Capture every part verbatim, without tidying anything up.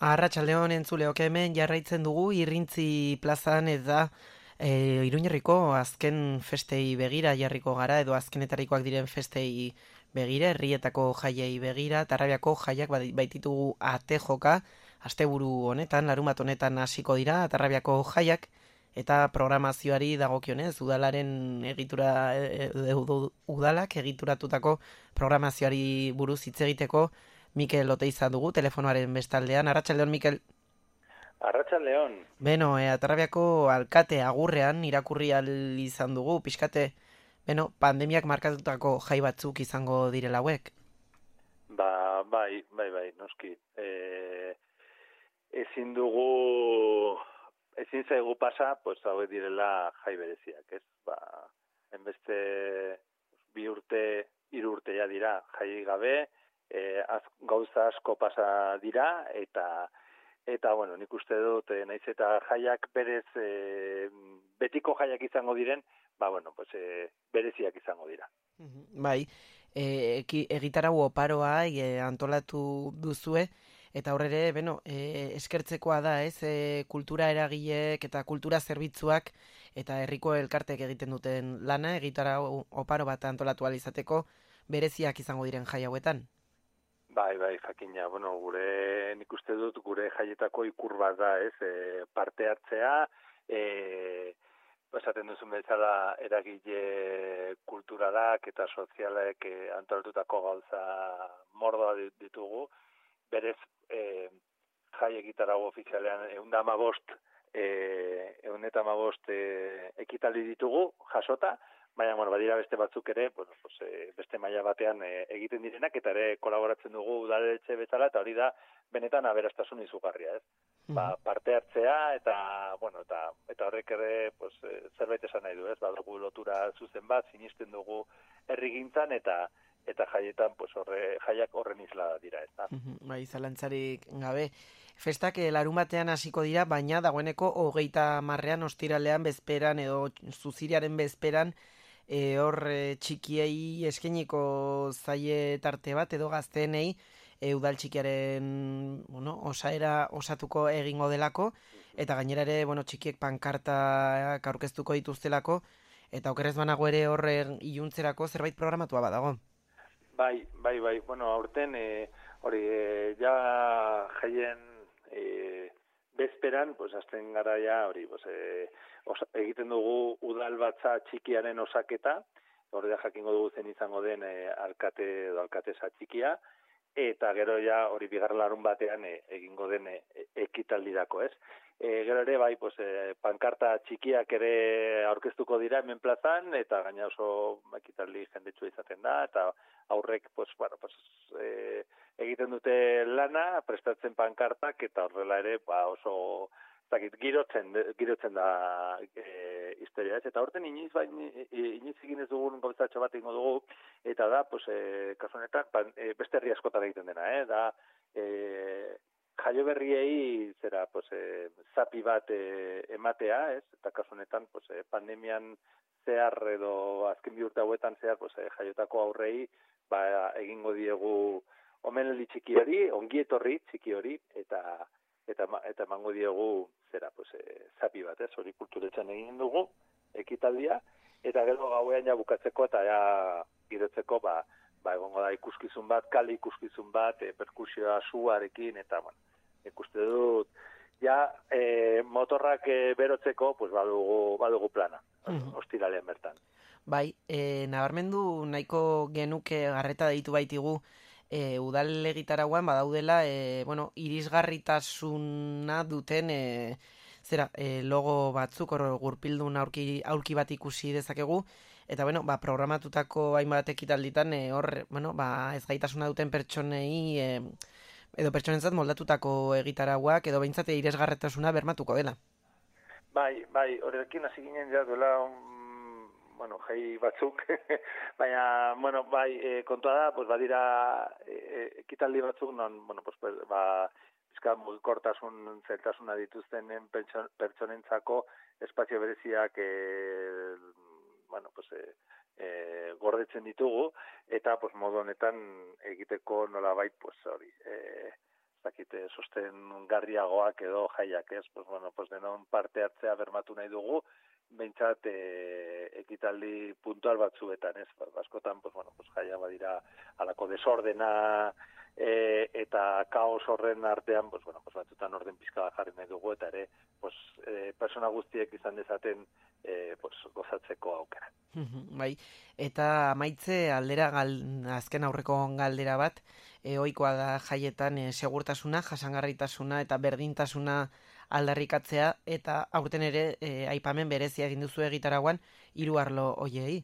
Arratsaldeon entzuleok hemen jarraitzen dugu Irrintzi plazan eta e, Iruñerriko azken festei begira jarriko gara edo azkenetarikoak diren festei begira, herrietako jaiei begira, Tarrabiako jaiak baititugu ate joka, asteburu honetan, larunbat honetan hasiko dira Tarrabiako jaiak eta programazioari dagokionez udalaren egitura e, e, udalak egituratutako programazioari buruz hitz egiteko Mikel Oteiza dugu, telefonoaren bestaldean. Arratsaldeon, Mikel. Arratsaldeon. Beno, e, Atarrabiako alkate agurrean irakurri al izan dugu, pixkate, beno, pandemiak markatutako jai batzuk izango direla hauek. Ba, bai, bai, bai, noski. E, ezin dugu, ezin zaigu pasa, pues hauek direla jai bereziak, ez? Ba, enbeste bi urte, hiru urte ja dira jai gabe, E, az, gauza asko pasa dira eta eta bueno, nik uste dut e, naiz eta jaiak berez e, betiko jaiak izango diren, ba bueno, pues e, bereziak izango dira. Bai, e, egitarau oparoa e, antolatu duzue eta horrere, beno, e, eskertzekoa da, ez, e, kultura eragileek eta kultura zerbitzuak eta herriko elkartek egiten duten lana egitarau oparo bat antolatu ahal izateko bereziak izango diren jai hauetan. Bai, bai, jakina, bueno, gure, nik uste dut, gure jaietako ikur bat da, ez, e, parte hartzea, e, esaten duzun bezala eragile kulturalak eta sozialek e, antolatutako gauza mordoa ditugu, berez, e, jai egitarago ofizialean egun da amabost, e, egun eta amabost e, ekitaldi ditugu, jasota, baina, bueno, badira beste batzuk ere, bueno, pues, e, beste maila batean e, egiten direnak, eta ere kolaboratzen dugu udaletxe bezala, eta hori da, benetan aberastasun izugarria, ez? Mm-hmm. Ba, parte hartzea, eta, bueno, eta, eta horrek ere, pues, e, zerbait esan nahi du, ez? Badugu lotura zuzen bat, sinisten dugu herrigintzan, eta eta jaietan, pues, horre, jaiak horren isla dira, ez da? Mm-hmm. Bai, zalantzarik gabe. Festak larun batean hasiko dira, baina dagoeneko hogeita marrean, ostiralean, bezperan, edo zuziriaren bezperan, E, hor e, txikiei eskeniko zaie tarte bat edo gazteenei e, udal txikiaren bueno, osaera osatuko egingo delako eta gainera ere bueno, txikiek pankartak aurkeztuko dituztelako eta okerrez banago ere hor iluntzerako zerbait programatua badago. Bai, bai, bai, bueno, aurten e, hori e, ja jaien e, bezperan, pues, azten gara ja hori, pues, e, Osa, egiten dugu udalbatza txikiaren osaketa, hori da jakingo dugu zen izango den e, alkate edo alkatesa txikia, eta gero ja hori bigarren larun batean e, egingo den e, ekitaldirako, ez? E, gero ere, bai, pues, e, pankarta txikiak ere aurkeztuko dira hemen plazan, eta gaina oso ekitaldi jendetsua izaten da, eta aurrek, pues, bueno, pues, e, egiten dute lana, prestatzen pankartak, eta horrela ere, ba, oso girotzen, girotzen da e, historia, ez? Eta horten iniz, ba, iniz egin ez dugun gauzatxo bat ingo dugu, eta da, pues, e, kasu honetan, e, beste herri askotan egiten dena, eh? Da, e, jaio berriei, zera, pues, e, zapi bat e, ematea, ez? Eta kasu honetan, pues, e, pandemian zehar edo azken bi urte hauetan zehar, pues, e, jaiotako aurrei, ba, egingo diegu omenaldi txiki hori, ongi etorri txiki hori, eta eta eta emango diegu zera, pues, e, zapi bat, ez, hori kulturetzan egin dugu, ekitaldia, eta gero gauean ja bukatzeko eta ja girotzeko, ba, ba egongo da ikuskizun bat, kale ikuskizun bat, e, perkusioa suarekin, eta, bueno, ikuste dut, ja, e, motorrak e, berotzeko, pues, badugu, badugu plana, mm-hmm. Ostiralean bertan. Bai, e, nabarmendu nahiko genuke garreta deitu baitigu, E, udal egitarauan badaudela e, bueno, irisgarritasuna duten e, zera, e, logo batzuk hor gurpildun aurki, aurki bat ikusi dezakegu eta bueno, ba, programatutako hainbat ekitalditan e, hor bueno, ba, ez gaitasuna duten pertsonei e, edo pertsonentzat moldatutako egitarauak edo behintzate irisgarritasuna bermatuko dela. Bai, bai, horrekin hasi ginen ja duela bueno, jai batzuk, baina, bueno, bai, e, kontua da, pues, badira e, ekitaldi batzuk, non, bueno, pues, ba, bizka mugikortasun zeltasuna dituzten pertsonentzako espazio bereziak, e, bueno, pues, e, e, gordetzen ditugu, eta, pues, modu honetan egiteko nolabait, pues, hori, e, zakit, baite sosten garriagoak edo jaiak, ez? Pues, bueno, pues denon parte hartzea bermatu nahi dugu, behintzat e, ekitaldi puntual batzuetan, ez? Askotan, pues, bueno, pues, jaia badira alako desordena e, eta kaos horren artean, pues, bueno, pues, batzutan orden pizka bat jarri nahi dugu, eta ere, pues, e, persona guztiek izan dezaten e, pues, gozatzeko aukera. Bai, eta amaitze aldera gal, azken aurreko galdera bat, e, ohikoa da jaietan e, segurtasuna, jasangarritasuna eta berdintasuna aldarrikatzea, eta aurten ere e, aipamen berezia egin duzu egitaragoan hiru arlo hoiei.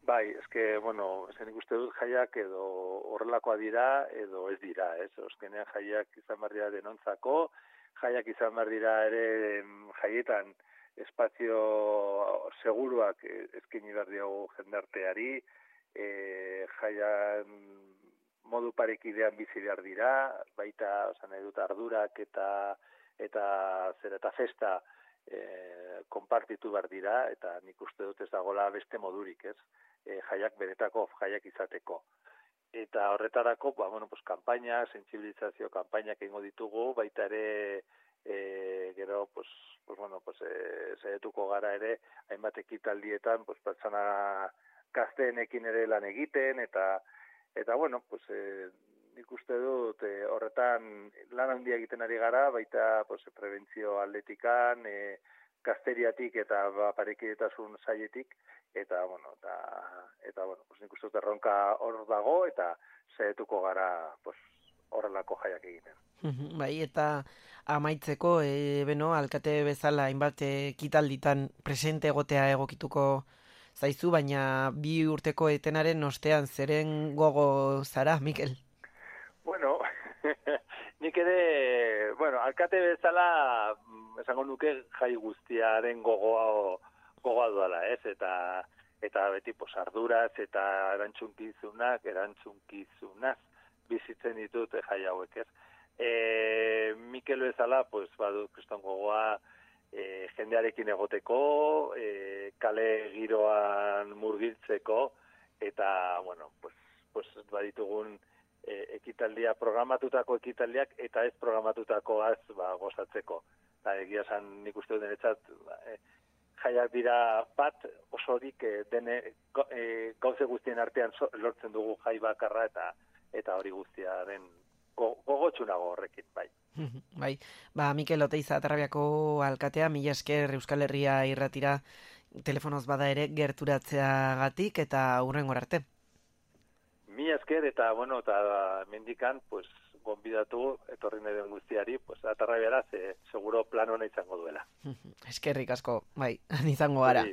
Bai, eske, bueno, zen ikuste dut jaiak edo horrelakoa dira edo ez dira, ez? Oskenean jaiak izan behar dira denontzako, jaiak izan behar dira ere jaietan espazio seguruak eskaini behar diogu jendarteari, e, jaian modu parekidean bizi behar dira, baita, osan nahi dut, ardurak eta eta zer eta festa e, konpartitu behar dira, eta nik uste dut ez dagoela beste modurik, ez? E, jaiak benetako jaiak izateko. Eta horretarako, ba, bueno, pues, kanpaina, sentsibilizazio kanpainak egingo ditugu, baita ere e, gero, pues, pues, bueno, pues, e, saietuko gara ere, hainbat ekitaldietan, pues, pertsona gazteenekin ere lan egiten, eta, eta bueno, pues, e, nik uste dut e, horretan lan handia egiten ari gara, baita pues, prebentzio atletikan, e, gazteriatik eta ba, parekidetasun saietik, eta, bueno, eta, eta bueno, pues, nik uste dut erronka hor dago, eta saietuko gara pues, horrelako jaiak egiten. Bai, eta amaitzeko, e, beno, alkate bezala hainbat ekitalditan presente egotea egokituko zaizu, baina bi urteko etenaren ostean zeren gogo zara, Mikel? Bueno, nik ere, bueno, alkate bezala, esango nuke jai guztiaren gogoa, gogoa duela, ez? Eta, eta beti pos, arduraz eta erantzunkizunak, erantzunkizunak bizitzen ditut jai hauek, ez? E, Mikel bezala, pues, badu kriston gogoa e, jendearekin egoteko, e, kale giroan murgiltzeko, eta, bueno, pues, pues, baditugun ekitaldia, programatutako ekitaldiak eta ez programatutakoaz ba, gozatzeko. Eta egia esan nik uste dut denetzat ba, e, jaiak dira bat osorik e, dene e, gauze guztien artean so, lortzen dugu jai bakarra eta eta hori guztiaren go, gogotsunago horrekin, bai. Bai, ba, Mikel Oteiza Tarrabiako alkatea, mila esker Euskal Herria irratira telefonoz bada ere gerturatzeagatik eta hurrengo arte. Mi esker eta, bueno, eta mendikan, pues, gonbidatu, etorri nahi den guztiari, pues, atarrabiara, ze, seguro plan hona izango duela. Eskerrik asko, bai, izango gara.